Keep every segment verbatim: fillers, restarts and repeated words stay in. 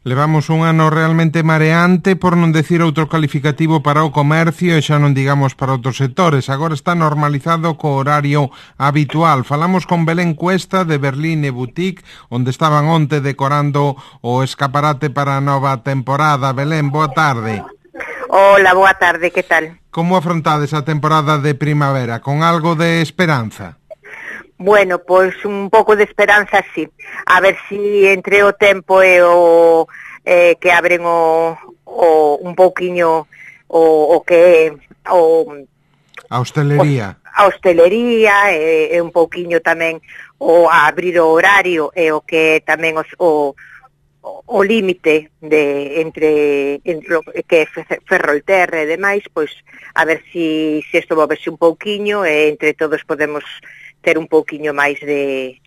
Levamos un ano realmente mareante, por non decir outro calificativo para o comercio e xa non digamos para outros sectores. Agora está normalizado co horario habitual. Falamos con Belén Cuesta de Berlín e Boutique, onde estaban onte decorando o escaparate para a nova temporada. Belén, boa tarde. Hola, boa tarde, que tal? Como afrontades a temporada de primavera? Con algo de esperanza? Bueno, pois un pouco de esperanza, sí. A ver si entre o tempo e o eh, que abren o, o un pouquiño o, o que o a hostelería. O, a hostelería e, e un pouquiño tamén o a abrir o horario e o que tamén os, o o límite de entre, entre lo que é Ferrolterra e demais, pois a ver si se isto movese un pouquiño e entre todos podemos ter un pouquiño máis de,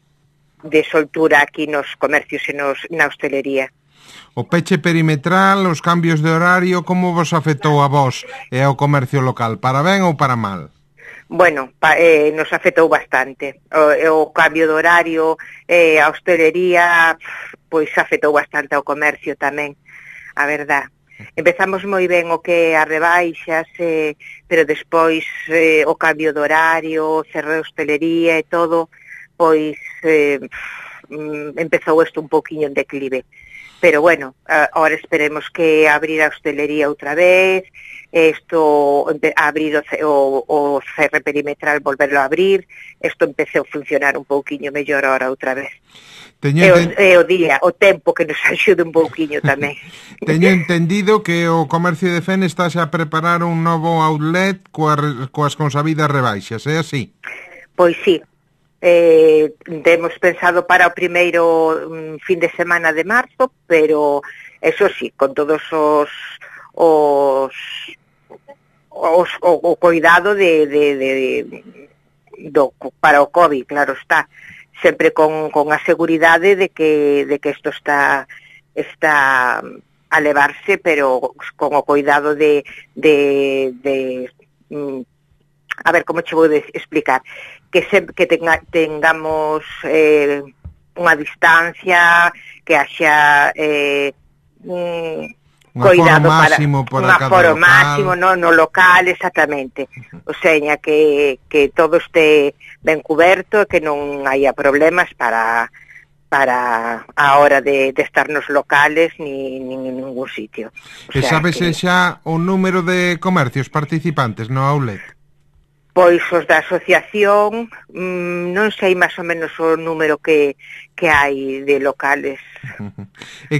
de soltura aquí nos comercios e nos, na hostelería. O peche perimetral, os cambios de horario, como vos afectou a vos e ao comercio local? Para ben ou para mal? Bueno, pa, eh, nos afectou bastante. O, o cambio de horario, eh, a hostelería, pois afectou bastante ao comercio tamén, a verdad. Empezamos moi ben o que as rebaixas, eh, pero despois eh, o cambio de horario, cerrar a hostelería e todo, pois eh, empezou isto un pouquiño en declive. Pero bueno, ahora esperemos que abrir a hostelería outra vez, isto, abrir o, o, o cerre perimetral, volverlo a abrir, isto empeceu a funcionar un pouquiño mellor ahora outra vez. Teño e, o, e o día, o tempo que nos axude un pouquiño tamén. Teño entendido que o comercio de Fene está a preparar un novo outlet coas, coas consabidas rebaixas, é así? Pois sí. Eh, temos pensado para o primeiro um, fin de semana de marzo, pero eso sí, con todos os os, os o, o cuidado de, de, de, de do, para o COVID, claro está, sempre con, con a seguridade de que de que isto está está a levarse, pero con o cuidado de de, de um, a ver, como che vou explicar, que se, que tenga, tengamos eh, unha distancia, que haxa eh, un cuidado para un aforo máximo no, no local, exactamente. O sea, que, que todo este ben cuberto, que non haya problemas para para a hora de, de estar nos locales ni, ni en ningún sitio. O sea, e sabes que... xa o número de comercios participantes no outlet? Pois os da asociación, mmm, non sei máis ou menos o número que, que hai de locales. Non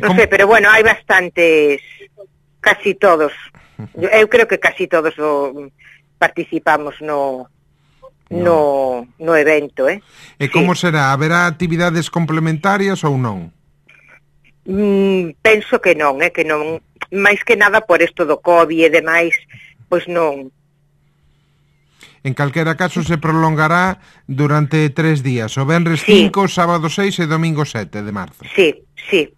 como... sei, pero bueno, hai bastantes, casi todos. Eu, eu creo que casi todos o, participamos no, no, no evento, eh? E como sí. será? Haberá actividades complementarias ou non? Mm, penso que non, eh? que non, máis que nada por isto do COVID e demais, pois non. En calquera caso se prolongará durante tres días, o venres sí. cinco, sábado seis e domingo sete de marzo. Sí, sí.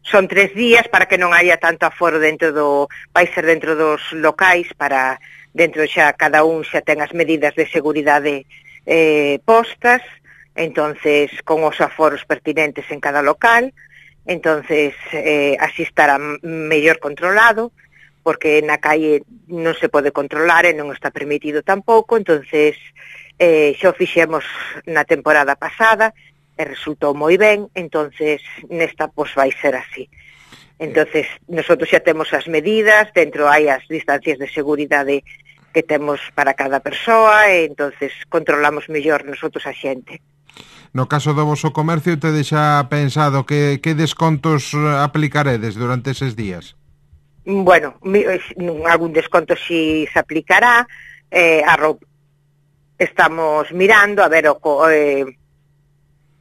Son tres días para que non haya tanto aforo dentro do... Vai ser dentro dos locais para... Dentro xa cada un xa ten as medidas de seguridade eh, postas, entonces con os aforos pertinentes en cada local, entonces eh, así estará mellor controlado, porque na calle non se pode controlar e non está permitido tampouco, entonces eh, xa o fixemos na temporada pasada e resultou moi ben, entonces nesta pois vai ser así. Entonces nosotros xa temos as medidas, dentro hai as distancias de seguridade que temos para cada persoa e entonces controlamos mellor nosotros a xente. No caso do voso comercio, te deixa pensado que, que descontos aplicaredes durante eses días? Bueno, algún desconto si se aplicará, eh, a roupa. Estamos mirando a ver o eh,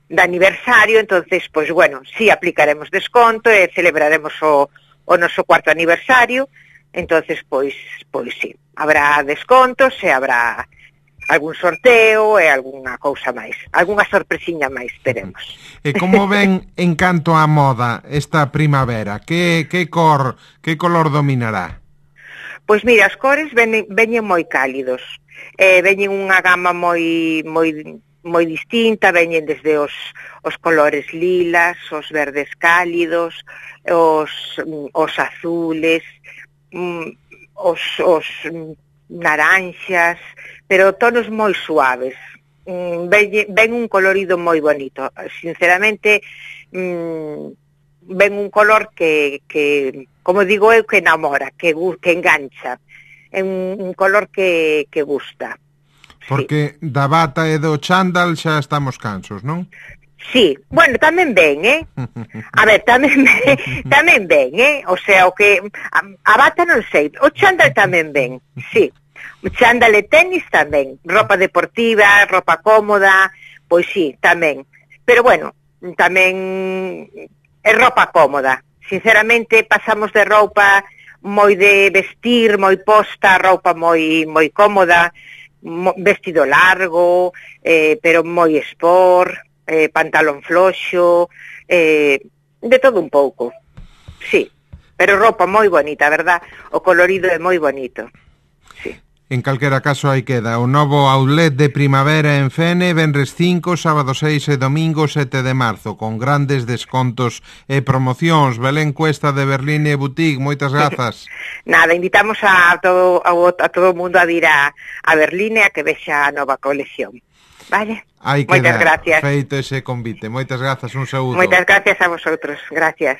de aniversario, entonces, pois pues, bueno, si aplicaremos desconto e celebraremos o, o noso cuarto aniversario, entonces, pois, pois si, habrá descontos e habrá algún sorteo e algunha cousa máis, algunha sorpresiña máis teremos. E como ven en canto á moda esta primavera? Que, que cor, que color dominará? Pois mira, as cores veñen, veñen moi cálidos, eh, veñen unha gama moi moi moi distinta, veñen desde os, os colores lilas, os verdes cálidos, os, os azules, os, os naranxas, pero tonos moi suaves. Ven, ven un colorido moi bonito. Sinceramente, ven un color que, que como digo eu, que enamora, que, que engancha. É un, un color que, que gusta. Porque sí, da bata e do chándal xa estamos cansos, non? Sí, bueno, tamén ben, eh? A ver, tamén ben, tamén ben, eh? O sea, o que a, a bata non sei, o chándal tamén ben, sí. O chándal e tenis tamén, ropa deportiva, ropa cómoda, pois sí, tamén. Pero bueno, tamén é ropa cómoda. Sinceramente, pasamos de roupa moi de vestir, moi posta, roupa moi moi cómoda, vestido largo, eh, pero moi sport, eh, pantalón floxo, eh, de todo un pouco, sí, pero roupa moi bonita, verdad? O colorido é moi bonito, sí. En calquera caso aí queda o novo outlet de primavera en Fene, venres cinco, sábado seis e domingo sete de marzo, con grandes descontos e promocións. Belén Cuesta de Berline Boutique, moitas grazas. Nada, invitamos a todo a, a todo o mundo a vir a, a Berline a que vexa a nova colección. Vale? Aí queda, moitas gracias. Feito ese convite. Moitas grazas, un saúdo. Moitas gracias a vosotros, gracias.